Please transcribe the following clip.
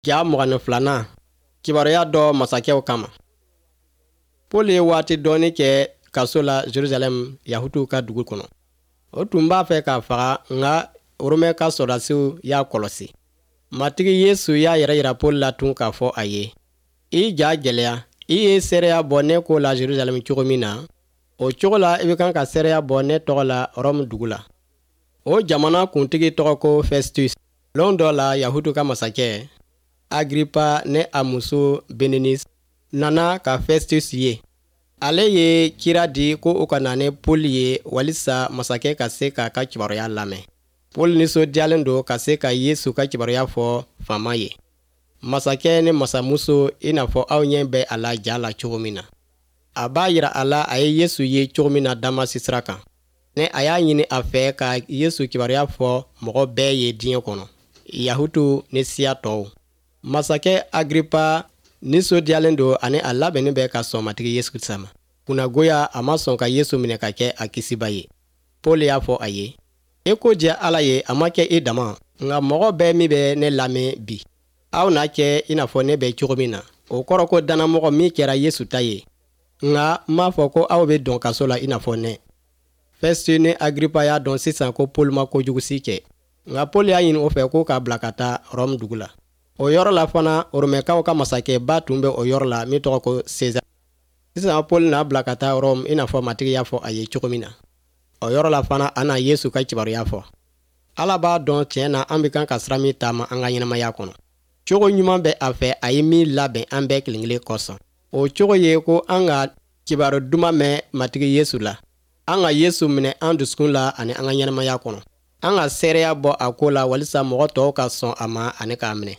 Ja 22nan, kibaruya dɔ masakɛw kama. Paul ye waati dɔɔni kɛ kaso la Jerusalɛm Yahutuw ka dugu kɔnɔ. O tun b'a fɛ k'a faga, nka Romɛ ka sɔrɔdasiw y'a kɔlɔsi. Matigi Yesu y'a yɛrɛ yira Paul la tun k'a fɔ a ye, I ja gɛlɛya, i ye seereya bɔ ne ko la Jerusalɛm cogo min na, o cogo la i bɛ kan ka seereya bɔ ne tɔgɔ la Rɔmu dugu la. O jamana kuntigi tɔgɔ ko Festus. Lon dɔ la Yahutu ka masakɛ Agripa ni a muso Berenise nana ka Festus ye. Ale ye kira di ko u ka na ni Paul ye walisa masakɛ ka se k'a ka kibaruya lamɛn. Paul nisɔndiyalen don ka se ka Yesu ka kibaruya fɔ faama ye. Masakɛ ni masamuso, i n'a fɔ aw ɲɛ bɛ a la ja la cogo min na. A b'a jira a la a ye Yesu ye cogo min na Damasi sira kan. Ni a y'a ɲini a fɛ ka Yesu kibaruya fɔ mɔgɔ bɛɛ ye diɲɛ kɔnɔ, Yahutuw ni siya tɔw. Masakɛ Agripa nisɔndiyalen don ani a labɛnnen bɛ ka sɔn Matigi Yesu Krisita ma. Kunnagoya, a ma sɔn ka Yesu minɛ ka kɛ a Kisiba ye. Paul y'a fɔ a ye, I ko diya Ala ye, a ma kɛ i dama, nka mɔgɔ bɛɛ min bɛ ne lamɛn bi, aw na kɛ i n'a fɔ ne bɛ cogo min na. O kɔrɔ ko dannamɔgɔ min kɛra Yesu ta ye. Nka n m'a fɔ ko aw bɛ don kaso la i n'a fɔ ne. Festus ni Agripa y'a dɔn sisan ko Paul ma kojugu si kɛ. Nka Paul y'a ɲini o fɛ ko k'a bila ka taa Rɔmu dugu la. O yɔrɔ la fana, Romɛkaw ka masakɛba tun bɛ o yɔrɔ la min tɔgɔ ko Sezar. Sisan Paul n'a bila ka taa Rɔmu i n'a fɔ Matigi y'a fɔ a ye cogo min na. O yɔrɔ la fana, a na Yesu ka kibaruya fɔ. Ala b'a dɔn tiɲɛ na an bɛ kan ka sira min taama an ka ɲɛnamaya kɔnɔ. Cogo ɲuman bɛ a fɛ a ye min labɛn an bɛɛ kelen-kelen kosɔn. O cogo ye ko an ka kibaru duman mɛn Matigi Yesu la. An ka Yesu minɛ an dusukun la ani an ka ɲɛnamaya kɔnɔ. An ka seereya bɔ a ko la walisa mɔgɔ tɔw ka sɔn a ma ani k'a minɛ.